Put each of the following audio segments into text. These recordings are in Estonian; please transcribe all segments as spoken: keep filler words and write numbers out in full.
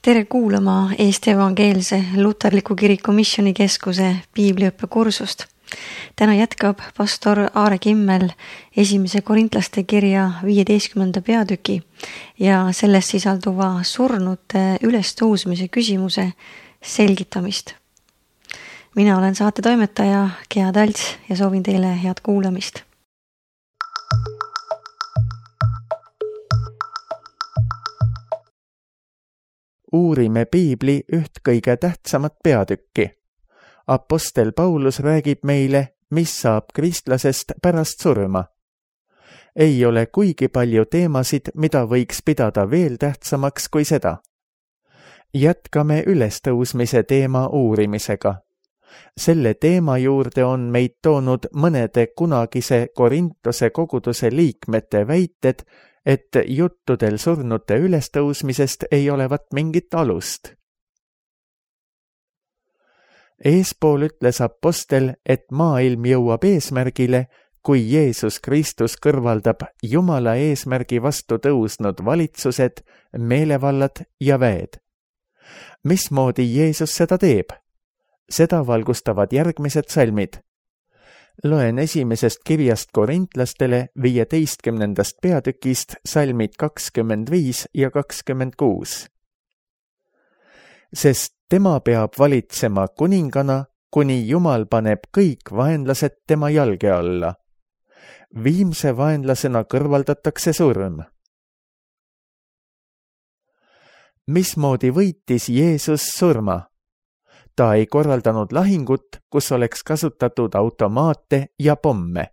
Tere kuulama Eesti Evangeelse Luterliku Kiriku Missioonikeskuse piibliõppekursust. Täna jätkab pastor Aare Kimmel esimese korintlaste kirja viieteistkümnenda peatüki ja selles sisalduva surnute ülestõusmise küsimuse selgitamist. Mina olen saate toimetaja Gea Talts ja soovin teile head kuulamist. Uurime piibli üht kõige tähtsamat peatükki. Apostel Paulus räägib meile, mis saab kristlasest pärast surma. Ei ole kuigi palju teemasid, mida võiks pidada veel tähtsamaks kui seda. Jätkame ülestõusmise teema uurimisega. Selle teema juurde on meid toonud mõnede kunagise Korintuse koguduse liikmete väited, et juttudel surnute ülestõusmisest ei olevat mingit alust. Eespool ütles apostel, et maailm jõuab eesmärgile, kui Jeesus Kristus kõrvaldab Jumala eesmärgi vastu tõusnud valitsused, meelevallad ja väed. Mismoodi Jeesus seda teeb? Seda valgustavad järgmised salmid. Loen esimesest kirjast korintlastele viieteistkümnendast peatükist salmid kakskümmend viis ja kakskümmend kuus. Sest tema peab valitsema kuningana, kuni Jumal paneb kõik vaenlased tema jalge alla. Viimse vaenlasena kõrvaldatakse surm. Mismoodi võitis Jeesus surma? Ta ei korraldanud lahingut, kus oleks kasutatud automaate ja pomme.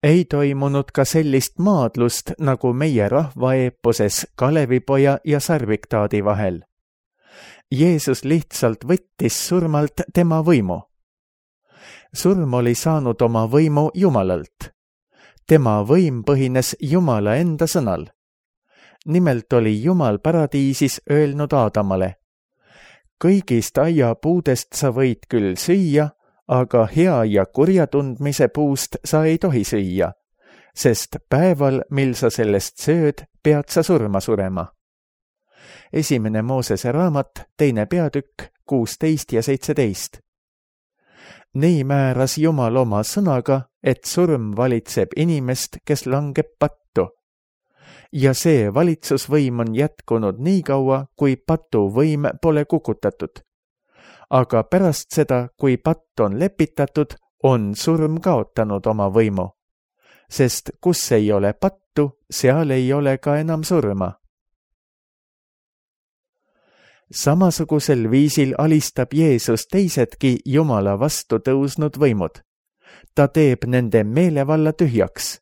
Ei toimunud ka sellist maadlust, nagu meie rahvaeeposes Kalevipoja ja Sarviktaadi vahel. Jeesus lihtsalt võttis surmalt tema võimu. Surm oli saanud oma võimu Jumalalt. Tema võim põhines Jumala enda sõnal. Nimelt oli Jumal paradiisis öelnud Aadamale: kõigist aiapuudest sa võid küll süüa, aga hea ja kurja tundmise puust sa ei tohi süüa, sest päeval, mil sa sellest sööd, pead sa surma surema. Esimene Moosese raamat, teine peatükk, kuusteist ja seitseteist. Nii määras Jumal oma sõnaga, et surm valitseb inimest, kes langeb pattu. Ja see valitsusvõim on jätkunud nii kaua, kui patuvõim pole kukutatud. Aga pärast seda, kui patt on lepitatud, on surm kaotanud oma võimu. Sest kus ei ole pattu, seal ei ole ka enam surma. Samasugusel viisil alistab Jeesus teisedki Jumala vastu tõusnud võimud. Ta teeb nende meelevalla tühjaks.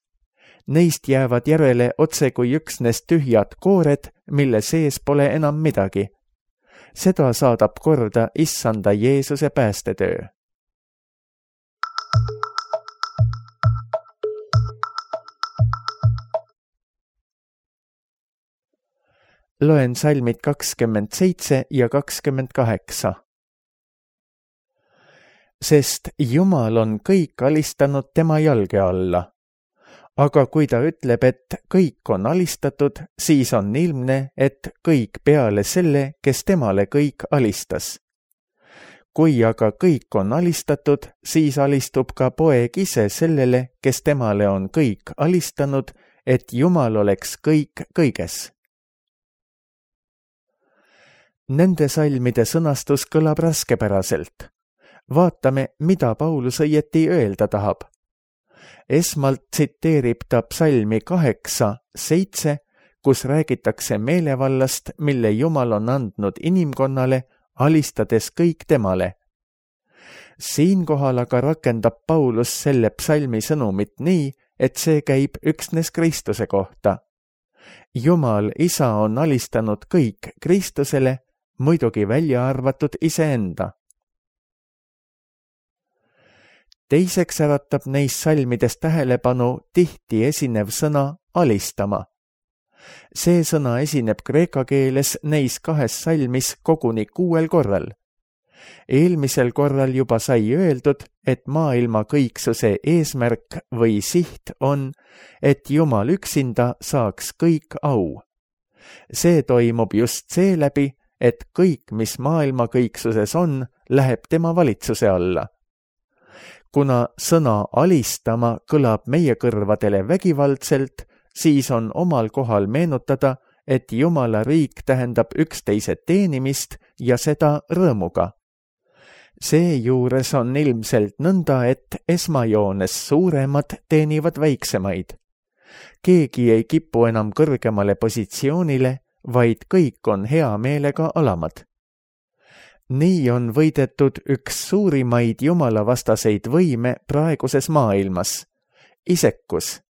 Neist jäävad järele otse kui üksnes tühjad koored, mille sees pole enam midagi. Seda saadab korda issanda Jeesuse päästetöö. Loen salmid kakskümmend seitse ja kakskümmend kaheksa. Sest Jumal on kõik alistanud tema jalge alla. Aga kui ta ütleb, et kõik on alistatud, siis on ilmne, et kõik peale selle, kes temale kõik alistas. Kui aga kõik on alistatud, siis alistub ka poeg ise sellele, kes temale on kõik alistanud, et Jumal oleks kõik kõiges. Nende salmide sõnastus kõlab raskepäraselt. Vaatame, mida Paulus õieti öelda tahab. Esmalt tsiteerib ta psalmi kaheksa, seitse, kus räägitakse meelevallast, mille Jumal on andnud inimkonnale, alistades kõik temale. Siinkohal aga rakendab Paulus selle psalmi sõnumit nii, et see käib üksnes Kristuse kohta. Jumal isa on alistanud kõik Kristusele, muidugi välja arvatud iseenda. Teiseks äratab neis salmides tähelepanu tihti esinev sõna alistama. See sõna esineb kreeka keeles neis kahes salmis koguni kuuel korral. Eelmisel korral juba sai öeldud, et maailma kõiksuse eesmärk või siht on, et Jumal üksinda saaks kõik au. See toimub just seeläbi, et kõik, mis maailma kõiksuses on, läheb tema valitsuse alla. Kuna sõna alistama kõlab meie kõrvadele vägivaldselt, siis on omal kohal meenutada, et Jumala riik tähendab üksteise teenimist ja seda rõõmuga. Seejuures on ilmselt nõnda, et esmajoones suuremad teenivad väiksemaid. Keegi ei kipu enam kõrgemale positsioonile, vaid kõik on hea meelega alamad. Nii on võidetud üks suurimaid jumalavastaseid võime praeguses maailmas, isekus.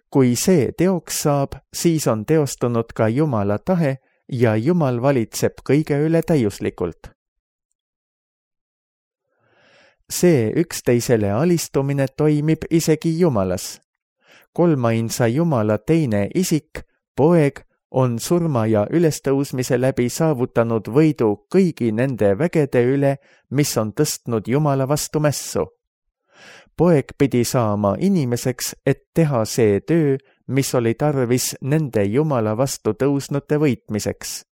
Kui see teoks saab, siis on teostunud ka Jumala tahe ja Jumal valitseb kõige üle täiuslikult. See üksteisele alistumine toimib isegi Jumalas. Kolmainsa Jumala teine isik, poeg, on surma ja ülestõusmise läbi saavutanud võidu kõigi nende vägede üle, mis on tõstnud Jumala vastu mässu. Poeg pidi saama inimeseks, et teha see töö, mis oli tarvis nende Jumala vastu tõusnute võitmiseks.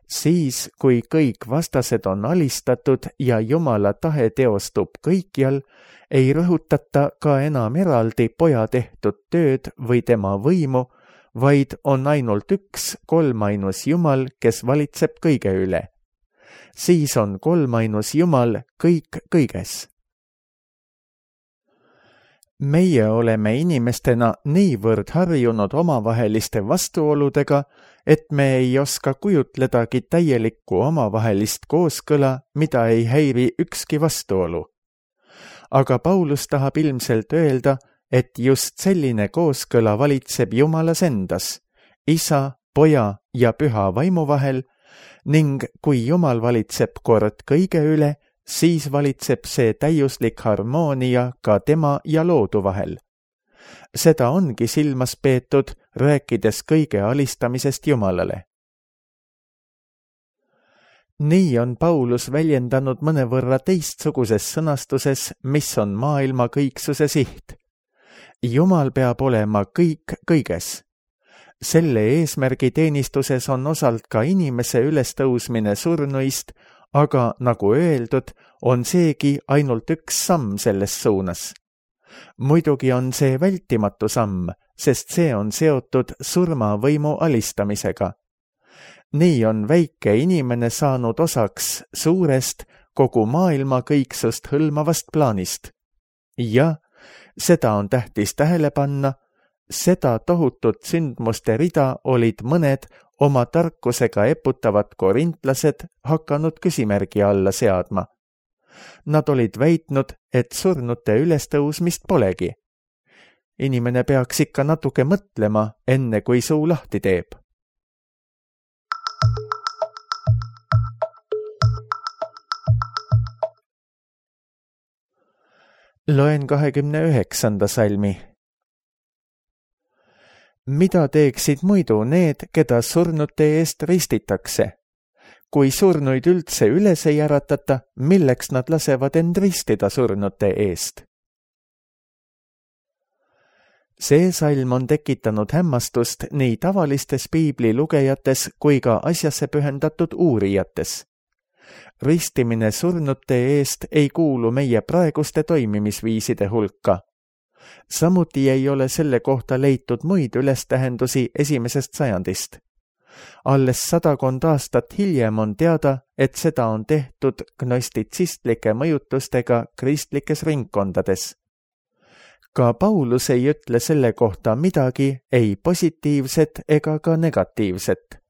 Siis, kui kõik vastased on alistatud ja Jumala tahe teostub kõikjal, ei rõhutata ka enam eraldi poja tehtud tööd või tema võimu, vaid on ainult üks kolmainus Jumal, kes valitseb kõige üle. Siis on kolmainus Jumal kõik kõiges. Meie oleme inimestena niivõrd harjunud omavaheliste vastuoludega, et me ei oska kujutledagi täielikku omavahelist kooskõla, mida ei häiri ükski vastuolu. Aga Paulus tahab ilmselt öelda, et just selline kooskõla valitseb Jumalas endas, Isa, Poja ja Püha vaimu vahel, ning kui Jumal valitseb kord kõige üle, siis valitseb see täiuslik harmoonia ka tema ja loodu vahel. Seda ongi silmas peetud, rääkides kõige alistamisest Jumalale. Nii on Paulus väljendanud mõnevõrra teistsuguses sõnastuses, mis on maailma kõiksuse siht. Jumal peab olema kõik kõiges. Selle eesmärgi teenistuses on osalt ka inimese ülestõusmine surnuist, aga nagu öeldud, on seegi ainult üks samm selles suunas. Muidugi on see vältimatu samm, sest see on seotud surmavõimu alistamisega. Nii on väike inimene saanud osaks suurest, kogu maailma kõiksust hõlmavast plaanist. Ja seda on tähtis tähele panna, seda tohutut sündmuste rida olid mõned oma tarkusega eputavad korintlased hakanud küsimärgi alla seadma. Nad olid väitnud, et surnute ülestõusmist polegi. Inimene peaks ikka natuke mõtlema, enne kui suu lahti teeb. Loen kahekümne üheksanda salmi. Mida teeksid muidu need, keda surnute eest ristitakse? Kui surnuid üldse üles ei äratata, milleks nad lasevad end ristida surnute eest? See salm on tekitanud hämmastust nii tavalistes piibli lugejates kui ka asjasse pühendatud uurijates. Ristimine surnute eest ei kuulu meie praeguste toimimisviiside hulka. Samuti ei ole selle kohta leitud muid ülestähendusi esimesest sajandist. Alles sadakond aastat hiljem on teada, et seda on tehtud gnostitsistlike mõjutustega kristlikes ringkondades. Ka Paulus ei ütle selle kohta midagi, ei positiivset ega ka negatiivset.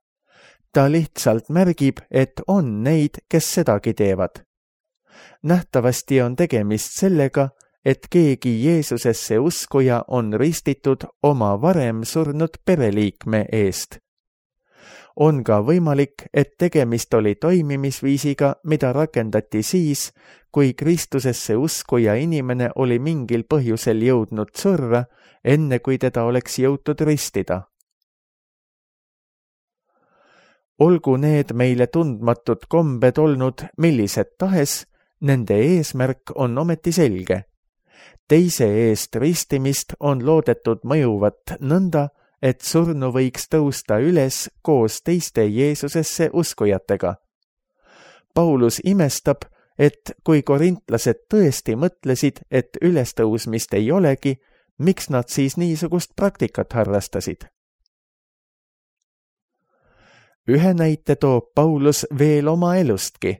Ta lihtsalt märgib, et on neid, kes sedagi teevad. Nähtavasti on tegemist sellega, et keegi Jeesusesse uskuja on ristitud oma varem surnud pereliikme eest. On ka võimalik, et tegemist oli toimimisviisiga, mida rakendati siis, kui Kristusesse uskuja inimene oli mingil põhjusel jõudnud surra, enne kui teda oleks jõutud ristida. Olgu need meile tundmatud kombed olnud millised tahes, nende eesmärk on ometi selge. Teise eest ristimist on loodetud mõjuvat nõnda, et surnu võiks tõusta üles koos teiste Jeesusesse uskujatega. Paulus imestab, et kui korintlased tõesti mõtlesid, et ülestõusmist ei olegi, miks nad siis niisugust praktikat harrastasid? Ühe näite toob Paulus veel oma elustki.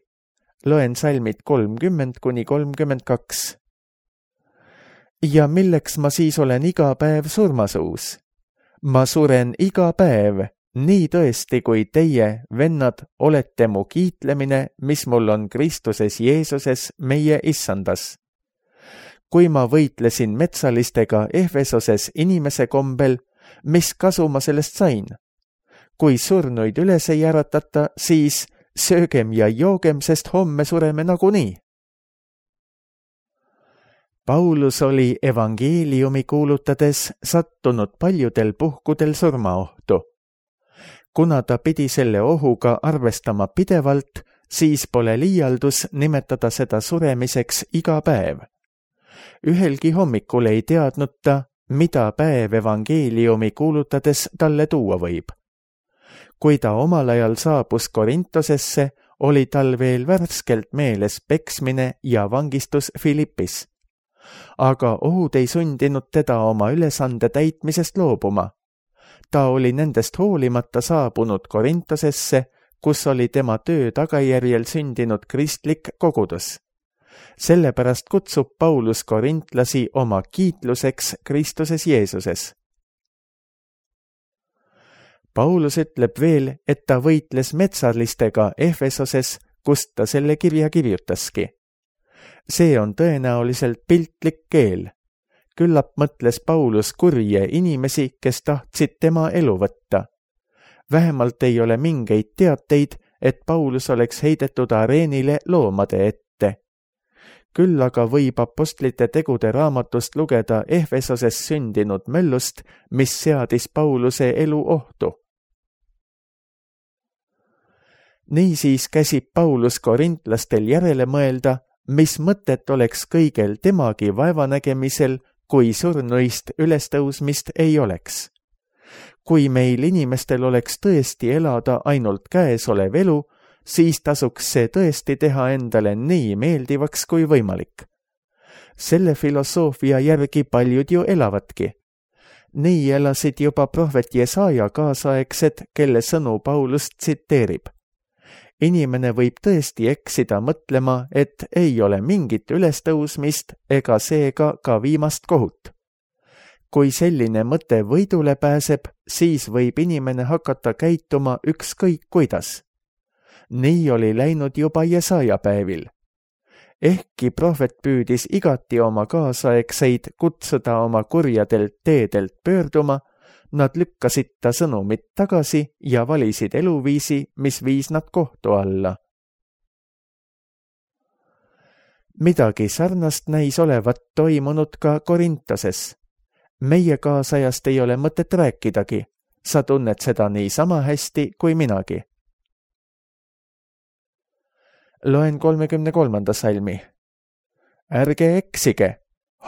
Loen salmid kolmkümmend kuni kolmkümmend kaks. Ja milleks ma siis olen iga päev surmasuus? Ma suren iga päev, nii tõesti kui teie, vennad, olete mu kiitlemine, mis mul on Kristuses Jeesuses meie issandas. Kui ma võitlesin metsalistega Efesoses inimese kombel, mis kasu ma sellest sain? Kui surnuid üles ei äratata, siis söögem ja joogem, sest homme sureme nagunii. Paulus oli evangeeliumi kuulutades sattunud paljudel puhkudel surmaohtu. Kuna ta pidi selle ohuga arvestama pidevalt, siis pole liialdus nimetada seda suremiseks iga päev. Ühelgi hommikul ei teadnud ta, mida päev evangeeliumi kuulutades talle tuua võib. Kui ta omal ajal saabus Korintosesse, oli tal veel värskelt meeles peksmine ja vangistus Filippis. Aga ohud ei sundinud teda oma ülesande täitmisest loobuma. Ta oli nendest hoolimata saabunud Korintosesse, kus oli tema töö tagajärjel sündinud kristlik kogudus. Sellepärast kutsub Paulus korintlasi oma kiitluseks Kristuses Jeesuses. Paulus ütleb veel, et ta võitles metsalistega Efesoses, kust ta selle kirja kirjutaski. See on tõenäoliselt piltlik keel. Küllap mõtles Paulus kurje inimesi, kes tahtsid tema elu võtta. Vähemalt ei ole mingeid teateid, et Paulus oleks heidetud areenile loomade ette. Küll aga võib apostlite tegude raamatust lugeda Efesoses sündinud möllust, mis seadis Pauluse elu ohtu. Niisiis käsib Paulus korintlastel järele mõelda, mis mõtet oleks kõigel temagi vaevanägemisel, kui surnuist ülestõusmist ei oleks. Kui meil inimestel oleks tõesti elada ainult käesolev elu, siis tasuks see tõesti teha endale nii meeldivaks kui võimalik. Selle filosoofia järgi paljud ju elavadki. Nii elasid juba prohvet Jesaja kaasaegsed, kelle sõnu Paulus tsiteerib. Inimene võib tõesti eksida mõtlema, et ei ole mingit ülestõusmist ega seega ka viimast kohut. Kui selline mõte võidule pääseb, siis võib inimene hakata käituma ükskõik kuidas. Nii oli läinud juba Jesaja päevil. Ehkki prohvet püüdis igati oma kaasaegseid kutsuda oma kurjadelt teedelt pöörduma, nad lükkasid ta sõnumit tagasi ja valisid eluviisi, mis viis nad kohtu alla. Midagi sarnast näis olevat toimunud ka Korintoses. Meie kaasajast ei ole mõtet rääkidagi. Sa tunned seda nii sama hästi kui minagi. Loen kolmekümne kolmanda salmi. Ärge eksige,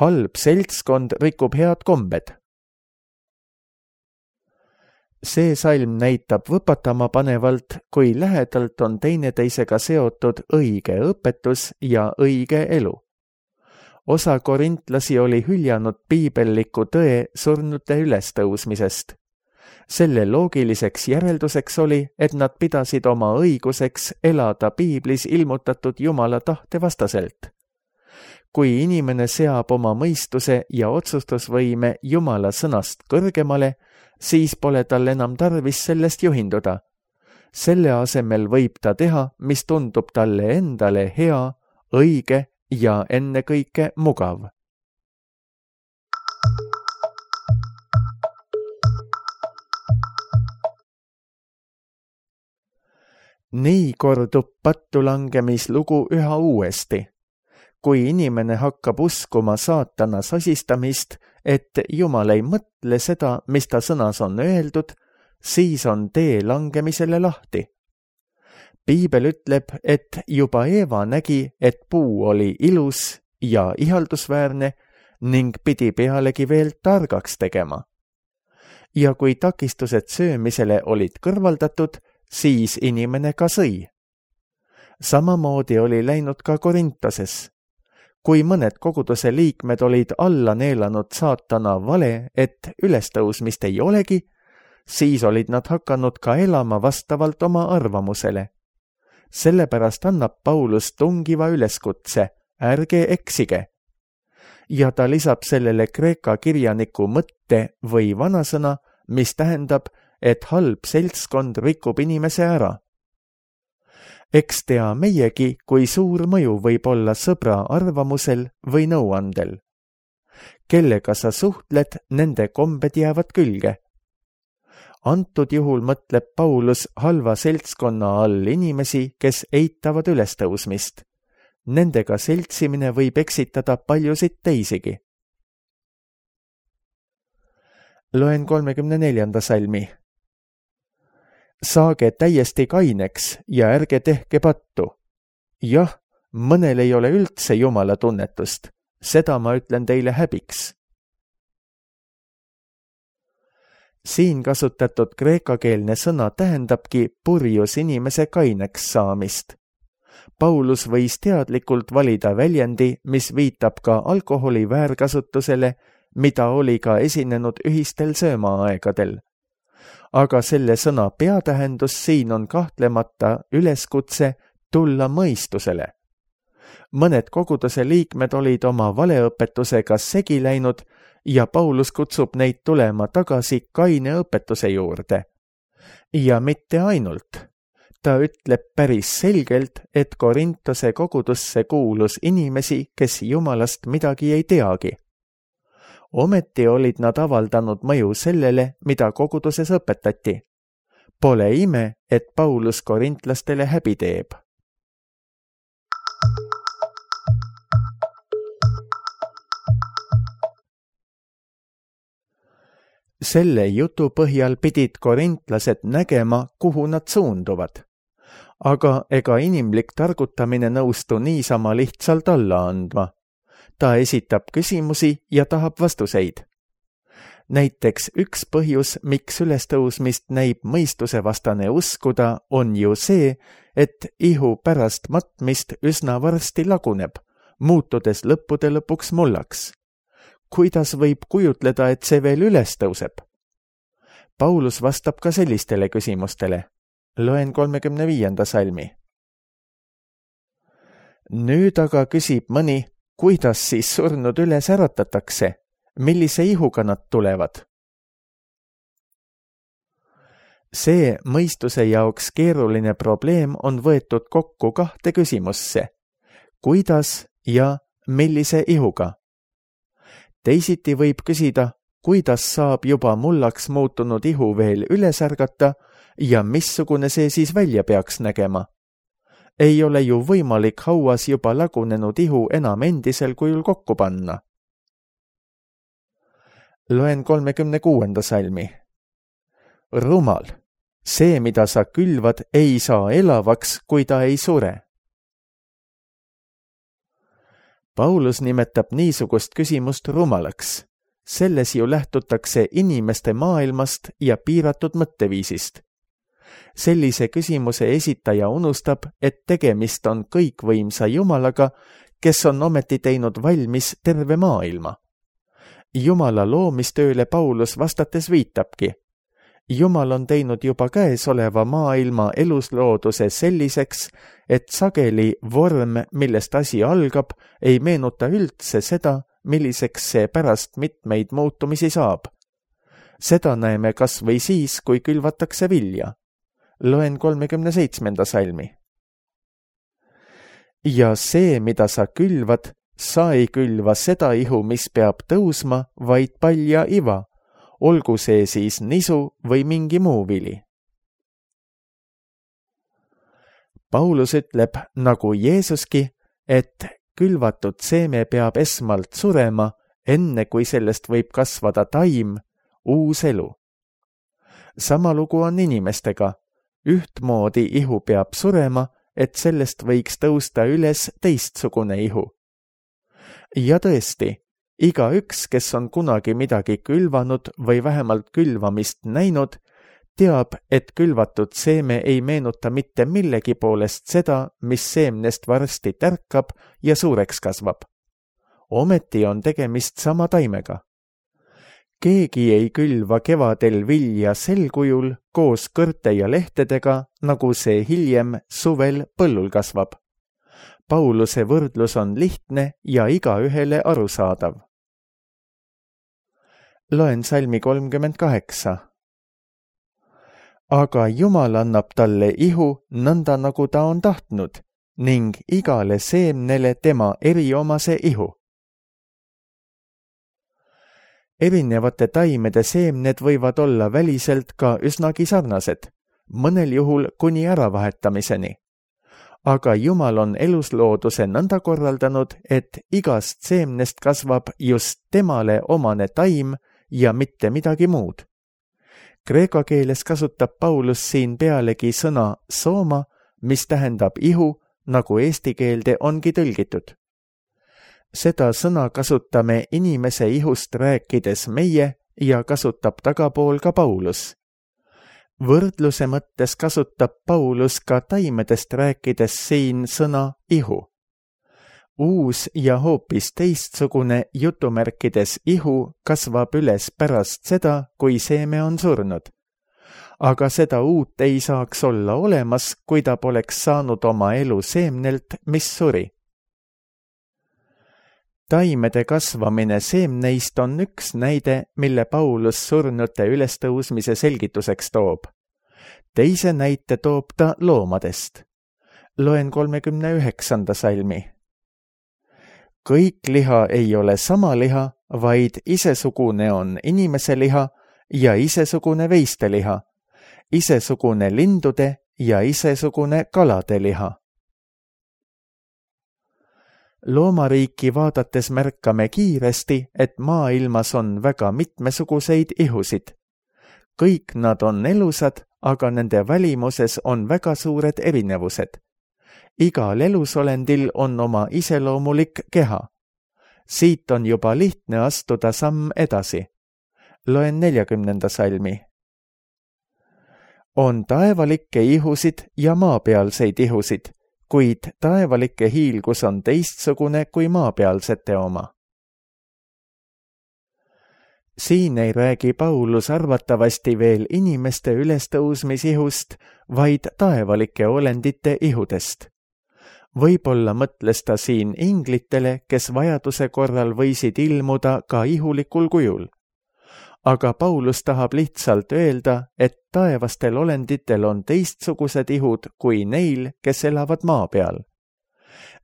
halb seltskond rikub head kombed. See salm näitab võpatama panevalt, kui lähedalt on teineteisega seotud õige õpetus ja õige elu. Osa korintlasi oli hüljanud piibelliku tõe surnute ülestõusmisest. Selle loogiliseks järelduseks oli, et nad pidasid oma õiguseks elada piiblis ilmutatud Jumala tahte vastaselt. Kui inimene seab oma mõistuse ja otsustusvõime Jumala sõnast kõrgemale, siis pole tal enam tarvis sellest juhinduda. Selle asemel võib ta teha, mis tundub talle endale hea, õige ja ennekõike mugav. Nii kordub pattulangemislugu üha uuesti. Kui inimene hakkab uskuma saatana sasistamist, et Jumal ei mõtle seda, mis ta sõnas on öeldud, siis on tee langemisele lahti. Piibel ütleb, et juba Eeva nägi, et puu oli ilus ja ihaldusväärne ning pidi pealegi veel targaks tegema. ja kui takistused söömisele olid kõrvaldatud, siis inimene ka sõi. Samamoodi oli läinud ka Korintoses. Kui mõned koguduse liikmed olid alla neelanud saatana vale, et ülestõusmist ei olegi, siis olid nad hakanud ka elama vastavalt oma arvamusele. Sellepärast annab Paulus tungiva üleskutse, ärge eksige. Ja ta lisab sellele kreeka kirjaniku mõtte või vanasõna, mis tähendab, et halb seltskond rikub inimese ära. Eks tea meiegi, kui suur mõju võib olla sõbra arvamusel või nõuandel. Kellega sa suhtled, nende kombed jäävad külge. Antud juhul mõtleb Paulus halva seltskonna all inimesi, kes eitavad ülestõusmist. Nendega seltsimine võib eksitada paljusid teisigi. Loen kolmekümne neljanda salmi. Saage täiesti kaineks ja ärge tehke pattu. Jah, mõnel ei ole üldse Jumala tunnetust. Seda ma ütlen teile häbiks. Siin kasutatud kreekakeelne sõna tähendabki purjus inimese kaineks saamist. Paulus võis teadlikult valida väljendi, mis viitab ka alkoholi väärkasutusele, mida oli ka esinenud ühistel söömaaegadel. Aga selle sõna peatähendus siin on kahtlemata üleskutse tulla mõistusele. Mõned koguduse liikmed olid oma valeõpetusega segi läinud ja Paulus kutsub neid tulema tagasi kaine õpetuse juurde. Ja mitte ainult. Ta ütleb päris selgelt, et Korintose kogudusse kuulus inimesi, kes Jumalast midagi ei teagi. Ometi olid nad avaldanud mõju sellele, mida koguduses õpetati. Pole ime, et Paulus korintlastele häbi teeb. Selle jutu põhjal pidid korintlased nägema, kuhu nad suunduvad. Aga ega inimlik targutamine nõustu niisama lihtsalt alla andma. Ta esitab küsimusi ja tahab vastuseid. Näiteks üks põhjus, miks ülestõusmist näib mõistusevastane uskuda, on ju see, et ihu pärast matmist üsna varsti laguneb, muutudes lõppude lõpuks mullaks. Kuidas võib kujutleda, et see veel üles tõuseb? Paulus vastab ka sellistele küsimustele. Loen kolmekümne viienda salmi. Nüüd aga küsib mõni, kuidas siis surnud üles äratatakse? Millise ihuga nad tulevad? See mõistuse jaoks keeruline probleem on võetud kokku kahte küsimusse. Kuidas ja millise ihuga? Teisiti võib küsida, kuidas saab juba mullaks muutunud ihu veel üles ärgata ja missugune see siis välja peaks nägema? Ei ole ju võimalik hauas juba lagunenud ihu enam endisel kujul kokku panna. Loen kolmekümne kuuenda salmi. Rumal, see, mida sa külvad, ei saa elavaks, kui ta ei sure. Paulus nimetab niisugust küsimust rumalaks. Selles ju lähtutakse inimeste maailmast ja piiratud mõtteviisist. Sellise küsimuse esitaja unustab, et tegemist on kõikvõimsa Jumalaga, kes on ometi teinud valmis terve maailma. Jumala loomistööle Paulus vastates viitabki. Jumal on teinud juba käesoleva maailma eluslooduse selliseks, et sageli vorm, millest asi algab, ei meenuta üldse seda, milliseks see pärast mitmeid muutumisi saab. Seda näeme kas või siis, kui külvatakse vilja. Loen kolmekümne seitsmenda salmi. Ja see, mida sa külvad, sa ei külva seda ihu, mis peab tõusma, vaid palja iva, olgu see siis nisu või mingi muu vili. Paulus ütleb, nagu Jeesuski, et külvatud seeme peab esmalt surema, enne kui sellest võib kasvada taim, uus elu. Sama lugu on inimestega. Ühtmoodi ihu peab surema, et sellest võiks tõusta üles teistsugune ihu. Ja tõesti, igaüks, kes on kunagi midagi külvanud või vähemalt külvamist näinud, teab, et külvatud seeme ei meenuta mitte millegi poolest seda, mis seemnest varsti tärkab ja suureks kasvab. Ometi on tegemist sama taimega. Keegi ei külva kevadel vilja sel kujul koos kõrte ja lehtedega, nagu see hiljem suvel põllul kasvab. Pauluse võrdlus on lihtne ja igaühele arusaadav. Loen salmi kolmkümmend kaheksa. Aga Jumal annab talle ihu nõnda, nagu ta on tahtnud, ning igale seemnele tema eriomase ihu. Erinevate taimede seemned võivad olla väliselt ka üsnagi sarnased, mõnel juhul kuni äravahetamiseni. Aga Jumal on eluslooduse nõnda korraldanud, et igast seemnest kasvab just temale omane taim ja mitte midagi muud. Kreeka keeles kasutab Paulus siin pealegi sõna sooma, mis tähendab ihu, nagu eesti keelde ongi tõlgitud. Seda sõna kasutame inimese ihust rääkides meie ja kasutab tagapool ka Paulus. Võrdluse mõttes kasutab Paulus ka taimedest rääkides siin sõna ihu. Uus ja hoopis teistsugune jutumärkides ihu kasvab üles pärast seda, kui seeme on surnud. Aga seda uut ei saaks olla olemas, kui ta poleks saanud oma elu seemnelt, mis suri. Taimede kasvamine seemneist on üks näide, mille Paulus surnute ülestõusmise selgituseks toob. Teise näite toob ta loomadest. Loen kolmekümne üheksanda salmi. Kõik liha ei ole sama liha, vaid isesugune on inimese liha ja isesugune veiste liha, isesugune lindude ja isesugune kalade liha. Loomariiki vaadates märkame kiiresti, et maailmas on väga mitmesuguseid ihusid. Kõik nad on elusad, aga nende välimuses on väga suured erinevused. Igal elusolendil on oma iseloomulik keha. Siit on juba lihtne astuda samm edasi. Loen neljakümnenda salmi. On taevalikke ihusid ja maapealseid ihusid, kuid taevalike hiilgus on teistsugune kui maapealsete oma. Siin ei räägi Paulus arvatavasti veel inimeste ülestõusmisihust, vaid taevalike olendite ihudest. Võib-olla mõtles ta siin inglitele, kes vajaduse korral võisid ilmuda ka ihulikul kujul. Aga Paulus tahab lihtsalt öelda, et taevastel olenditel on teistsugused ihud kui neil, kes elavad maa peal.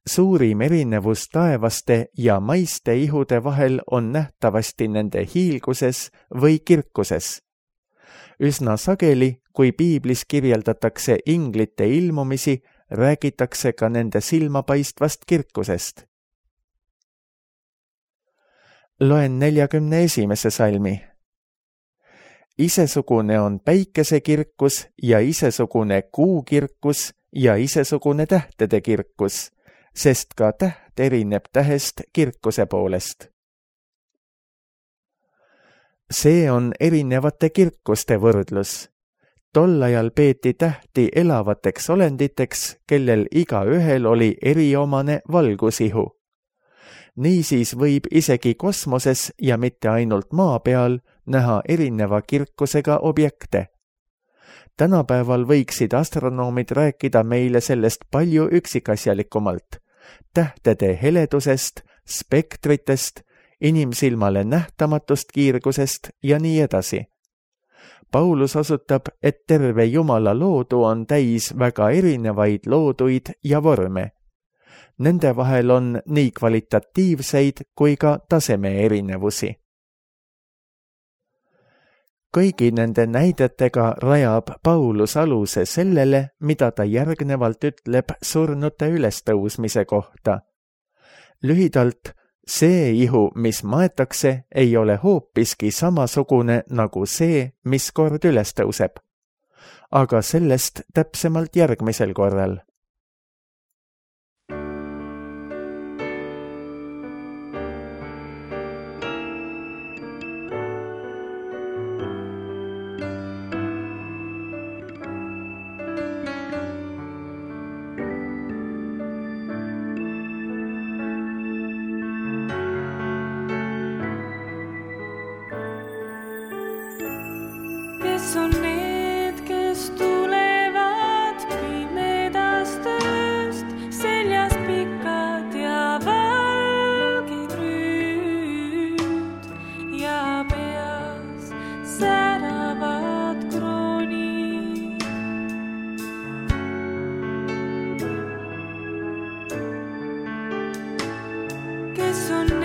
Suurim erinevus taevaste ja maiste ihude vahel on nähtavasti nende hiilguses või kirkuses. Üsna sageli, kui piiblis kirjeldatakse inglite ilmumisi, räägitakse ka nende silmapaistvast kirkusest. Loen neljakümne esimese salmi. Isesugune on päikese kirkus ja isesugune kuu kirkus ja isesugune tähtede kirkus, sest ka täht erineb tähest kirkuse poolest. See on erinevate kirkuste võrdlus. Tol ajal peeti tähti elavateks olenditeks, kellel igaühel oli eriomane valgusihu. Niisiis võib isegi kosmoses ja mitte ainult maa peal näha erineva kirkusega objekte. Tänapäeval võiksid astronoomid rääkida meile sellest palju üksikasjalikumalt, tähtede heledusest, spektritest, inimsilmale nähtamatust kiirgusest ja nii edasi. Paulus osutab, et terve Jumala loodu on täis väga erinevaid looduid ja vorme. Nende vahel on nii kvalitatiivseid kui ka taseme erinevusi. Kõigi nende näidetega rajab Paulus aluse sellele, mida ta järgnevalt ütleb surnute ülestõusmise kohta. Lühidalt, see ihu, mis maetakse, ei ole hoopiski samasugune nagu see, mis kord ülestõuseb. Aga sellest täpsemalt järgmisel korral. katsun